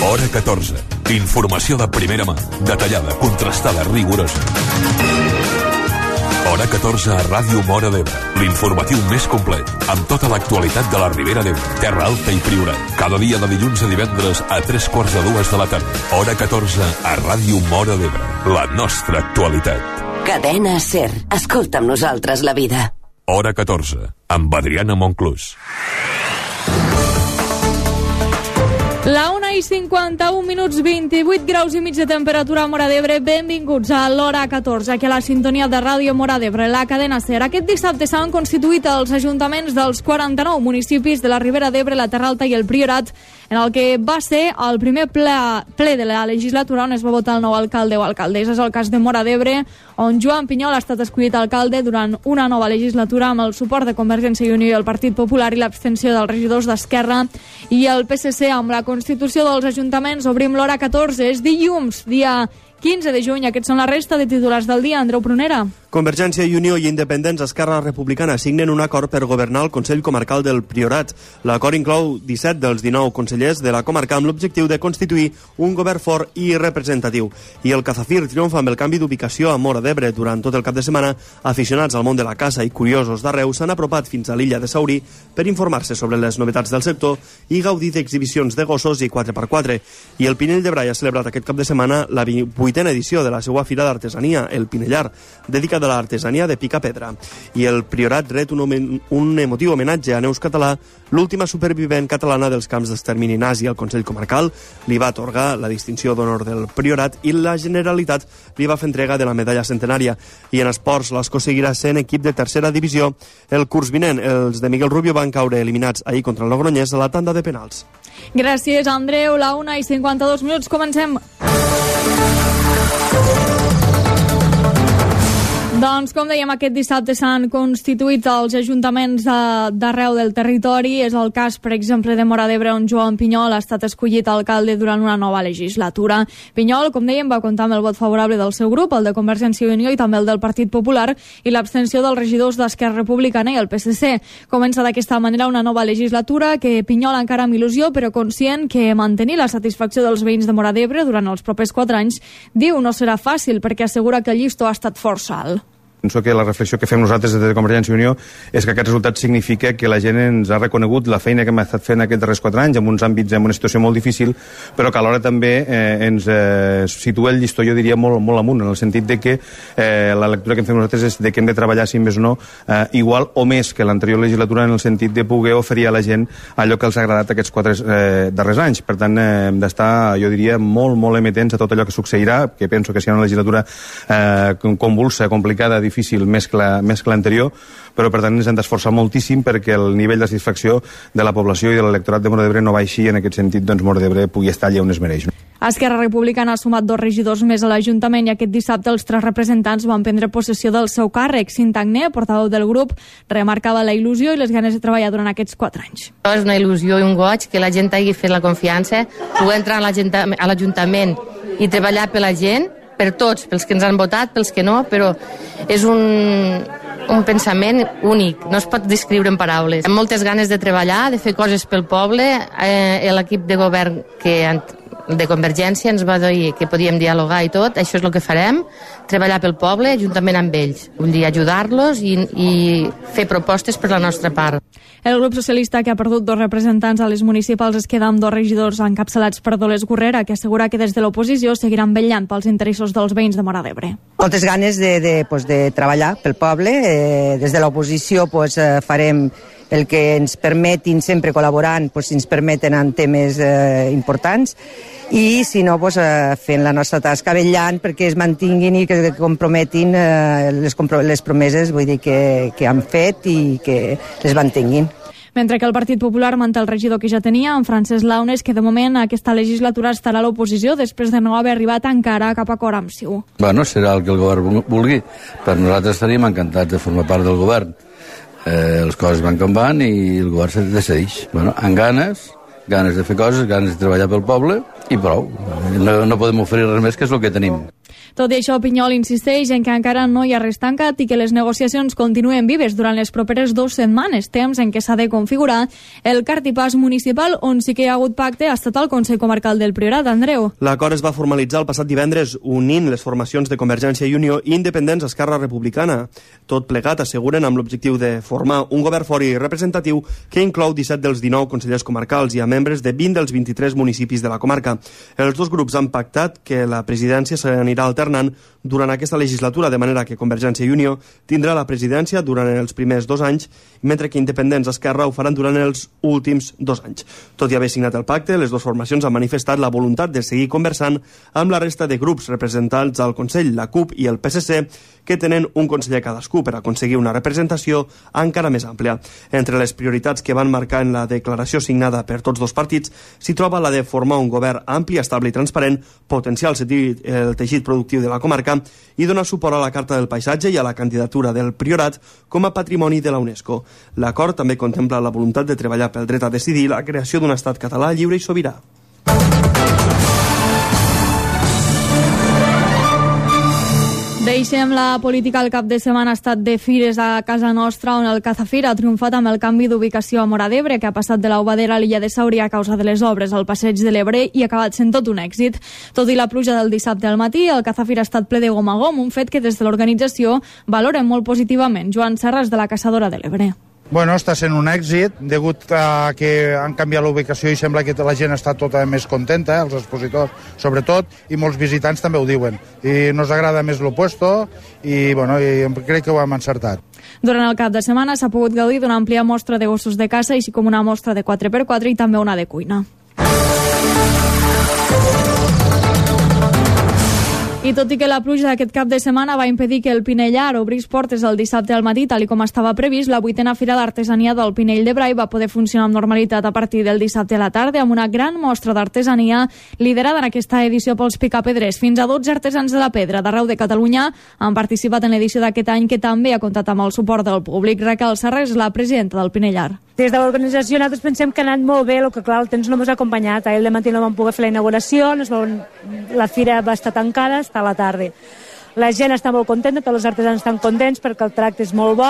Hora 14. Informació de primera mà, detallada, contrastada, rigorosa. Hora 14 a Ràdio Móra d'Ebre. L'informatiu més complet, amb tota l'actualitat de la Ribera d'Ebre, Terra Alta i Priorat. Cada dia de dilluns a divendres a 3:45 de la tarda. Hora 14 a Ràdio Móra d'Ebre. La nostra actualitat. Cadena SER. Escolta amb nosaltres la vida. Hora 14, amb Adriana Monclús. La 1:51, 28 graus i mig de temperatura a Móra d'Ebre. Benvinguts a l'Hora 14, aquí a la sintonia de Ràdio Móra d'Ebre, la cadena SER. Aquest dissabte s'han constituït els ajuntaments dels 49 municipis de la Ribera d'Ebre, la Terra Alta i el Priorat, en el que va ser el primer ple de la legislatura on es va votar el nou alcalde o alcaldessa. És el cas de Móra d'Ebre, on Joan Pinyol ha estat escollit alcalde durant una nova legislatura amb el suport de Convergència i Unió i el Partit Popular i l'abstenció dels regidors d'Esquerra i el PSC. Amb la constitució dels ajuntaments obrim l'Hora 14. És dilluns, dia 15 de juny. Aquests són la resta de titulars del dia. Andreu Prunera. Convergència i Unió i Independents Esquerra Republicana signen un acord per governar el Consell Comarcal del Priorat. L'acord inclou 17 dels 19 consellers de la comarca amb l'objectiu de constituir un govern fort i representatiu. I el Cazafir triomfa amb el canvi d'ubicació a Móra d'Ebre. Durant tot el cap de setmana, aficionats al món de la caça i curiosos d'arreu s'han apropat fins a l'illa de Saurí per informar-se sobre les novetats del sector i gaudir d'exhibicions de gossos i 4x4. I el Pinell de Brai ha celebrat aquest cap de setmana la 8a edició de la seva fira d'artesania, el Pinellar, dedicada a l'artesania de pica-pedra. I el Priorat ret un emotiu homenatge a Neus Català, l'última supervivent catalana dels camps d'extermini nazi. El Consell Comarcal li va atorgar la distinció d'honor del Priorat i la Generalitat li va fer entrega de la medalla centenària. I en esports, l'Escó seguirà sent equip de tercera divisió. El curs vinent, els de Miguel Rubio van caure eliminats ahir contra el Logroñés a la tanda de penals. Gràcies, Andreu. La 1:52, comencem. Doncs, com dèiem, aquest dissabte s'han constituït els ajuntaments d'arreu del territori. És el cas, per exemple, de Móra d'Ebre, on Joan Pinyol ha estat escollit alcalde durant una nova legislatura. Pinyol, com dèiem, va comptar amb el vot favorable del seu grup, el de Convergència i Unió i també el del Partit Popular, i l'abstenció dels regidors d'Esquerra Republicana i el PSC. Comença d'aquesta manera una nova legislatura que Pinyol encara amb il·lusió, però conscient que mantenir la satisfacció dels veïns de Móra d'Ebre durant els propers 4 anys, diu, no serà fàcil, perquè assegura que el llistó ha estat força alt. Penso que la reflexió que fem nosaltres des de Convergència i Unió és que aquest resultat significa que la gent ens ha reconegut la feina que hem estat fent aquests darrers 4 anys en uns àmbits, en una situació molt difícil, però que alhora també ens situa el llistó, jo diria, molt amunt, en el sentit de que la lectura que fem nosaltres és de que hem de treballar, si més no, igual o més que l'anterior legislatura, en el sentit de poder oferir a la gent allò que els ha agradat aquests 4 darrers anys. Per tant, hem d'estar, jo diria, molt amatents a tot allò que succeirà, que penso que serà una legislatura convulsa, complicada, difícil, més que l'anterior, però per tant ens hem d'esforçar moltíssim perquè el nivell de satisfacció de la població i de l'electorat de Móra d'Ebre no baixi, en aquest sentit, doncs Móra d'Ebre pugui estar allà on es mereix. Esquerra Republicana ha sumat 2 regidors més a l'Ajuntament i aquest dissabte els 3 representants van prendre possessió del seu càrrec. Cintagné, portaveu del grup, remarcava la il·lusió i les ganes de treballar durant aquests 4 anys. És una il·lusió i un goig que la gent hagi fet la confiança, poder entrar a l'Ajuntament i treballar per la gent, per tots, pels que ens han votat, pels que no, però és un pensament únic, no es pot descriure en paraules. Amb moltes ganes de treballar, de fer coses pel poble. L'equip de govern de Convergència ens va dir que podíem dialogar i tot, això és el que farem, treballar pel poble juntament amb ells, vull dir, ajudar-los i fer propostes per la nostra part. El grup socialista, que ha perdut 2 representants a les municipals, es queda amb 2 regidors encapçalats per Dolors Gurrera, que assegura que des de l'oposició seguiran vetllant pels interessos dels veïns de Móra d'Ebre. Moltes ganes de treballar pel poble. Des de l'oposició farem el que ens permetin, sempre col·laborant, si ens permeten en temes importants, i si no, fent la nostra tasca, vetllant perquè es mantinguin i que comprometin les promeses, vull dir, que han fet i que les mantinguin. Mentre que el Partit Popular manté el regidor que ja tenia, en Francesc Launes, que de moment aquesta legislatura estarà a l'oposició després de no haver arribat encara a cap acord amb CiU. Bueno, serà el que el govern vulgui. Per nosaltres estaríem encantats de formar part del govern. Les coses van com van i el govern se decideix. Bueno, amb ganes de fer coses, ganes de treballar pel poble i prou. No podem oferir res més, que és el que tenim. Tot i això, Pinyol insisteix en que encara no hi ha res tancat i que les negociacions continuen vives durant les properes 2 setmanes, temps en què s'ha de configurar el cartipàs municipal, on sí que hi ha hagut pacte ha estat el Consell Comarcal del Priorat. Andreu. L'acord es va formalitzar el passat divendres unint les formacions de Convergència i Unió i Independents Esquerra Republicana. Tot plegat asseguren amb l'objectiu de formar un govern fort i representatiu que inclou 17 dels 19 consellers comarcals i a membres de 20 dels 23 municipis de la comarca. Els dos grups han pactat que la presidència s'anirà alternant durant aquesta legislatura, de manera que Convergència i Unió tindrà la presidència durant els primers 2 anys, mentre que Independents Esquerra ho faran durant els últims 2 anys. Tot i haver signat el pacte, les dues formacions han manifestat la voluntat de seguir conversant amb la resta de grups representats al Consell, la CUP i el PSC, que tenen un conseller cadascú per aconseguir una representació encara més àmplia. Entre les prioritats que van marcar en la declaració signada per tots dos partits s'hi troba la de formar un govern ampli, estable i transparent, potenciar el teixit productiu de la comarca i donar suport a la Carta del Paisatge i a la candidatura del Priorat com a patrimoni de la UNESCO. L'acord també contempla la voluntat de treballar pel dret a decidir la creació d'un estat català lliure i sobirà. Deixem la política. El cap de setmana ha estat de fires a casa nostra, on el Cazafir ha triomfat amb el canvi d'ubicació a Móra d'Ebre, que ha passat de l'Aubadera a l'illa de Sauri a causa de les obres al passeig de l'Ebre i ha acabat sent tot un èxit. Tot i la pluja del dissabte al matí, el Cazafir ha estat ple de gom a gom, un fet que des de l'organització valoren molt positivament. Joan Serras, de la Caçadora de l'Ebre. Bueno, està sent un èxit, degut a que han canviat la ubicació i sembla que la gent està tota més contenta, els expositors sobretot, i molts visitants també ho diuen. I nos agrada més lo puesto i, bueno, i crec que ho hem encertat. Durant el cap de setmana s'ha pogut gaudir d'una àmplia mostra de gossos de caça, així com una mostra de 4x4 i també una de cuina. I tot i que la pluja d'aquest cap de setmana va impedir que el Pinellar obrís portes el dissabte al matí, tal com estava previst, la 8a Fira d'Artesania del Pinell de Brai va poder funcionar amb normalitat a partir del dissabte a la tarda, amb una gran mostra d'artesania liderada en aquesta edició pels picapedrers. Fins a 12 artesans de la pedra d'arreu de Catalunya han participat en l'edició d'aquest any, que també ha comptat amb el suport del públic. Raquel Serres, la presidenta del Pinellar. Des de l'organització nosaltres pensem que ha anat molt bé, el que clar, el temps no ens ha acompanyat. Ahir al matí no vam poder fer la inauguració, la fira va estar tancada, està a la tarda. La gent està molt contenta, tots els artesans estan contents perquè el tracte és molt bo,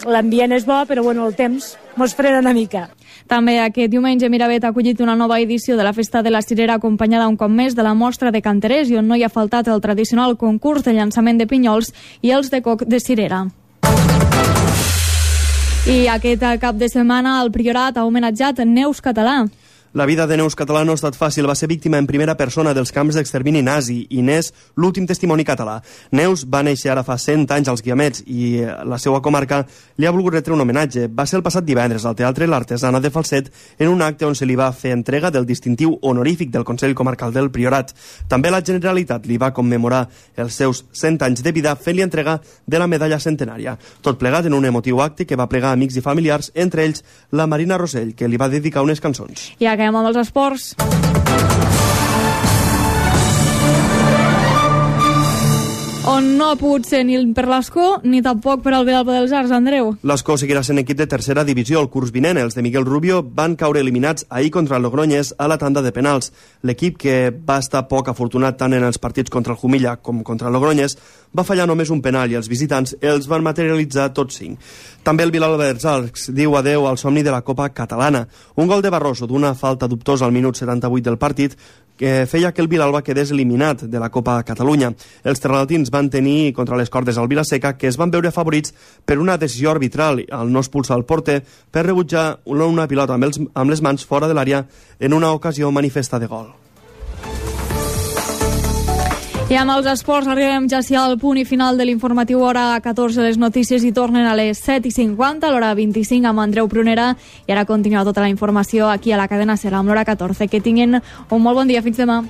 l'ambient és bo, però bueno, el temps mos frena una mica. També aquest diumenge Miravet ha acollit una nova edició de la Festa de la Cirera, acompanyada un cop més de la mostra de canterers, i on no hi ha faltat el tradicional concurs de llançament de pinyols i els de coc de cirera. I aquest cap de setmana el Priorat ha homenatjat Neus Català. La vida de Neus Català no ha estat fàcil. Va ser víctima en primera persona dels camps d'extermini nazi i n'és l'últim testimoni català. Neus va néixer ara fa 100 anys als Guiamets i la seva comarca li ha volgut retre un homenatge. Va ser el passat divendres al Teatre L'Artesana de Falset, en un acte on se li va fer entrega del distintiu honorífic del Consell Comarcal del Priorat. També la Generalitat li va commemorar els seus 100 anys de vida fent-li entrega de la medalla centenària. Tot plegat en un emotiu acte que va plegar amics i familiars, entre ells la Marina Rossell, que li va dedicar unes cançons. I acabem amb els esports. On no ha pogut ser ni per l'Escó ni tampoc per al Vilalba dels Arcs, Andreu. L'Escó seguirà sent equip de tercera divisió el curs vinent. Els de Miguel Rubio van caure eliminats ahir contra el Logroñés a la tanda de penals. L'equip, que va estar poc afortunat tant en els partits contra el Jumilla com contra el Logroñés, va fallar només un penal i els visitants els van materialitzar tots 5. També el Vilalba dels Arcs diu adeu al somni de la Copa Catalana. Un gol de Barroso d'una falta dubtosa al minut 78 del partit que feia que el Vilalba quedés eliminat de la Copa Catalunya. Els terralatins van tenir contra les cordes al Vilaseca, que es van veure favorits per una decisió arbitral al no expulsar el porter per rebutjar una pilota amb les mans fora de l'àrea en una ocasió manifesta de gol. I amb els esports arribem ja al punt i final de l'informatiu. Hora 14, les notícies hi tornen a les 7:50, a l'hora 25 amb Andreu Prunera, i ara continua tota la informació aquí a la cadena SER amb l'hora 14. Que tinguin un molt bon dia, fins demà.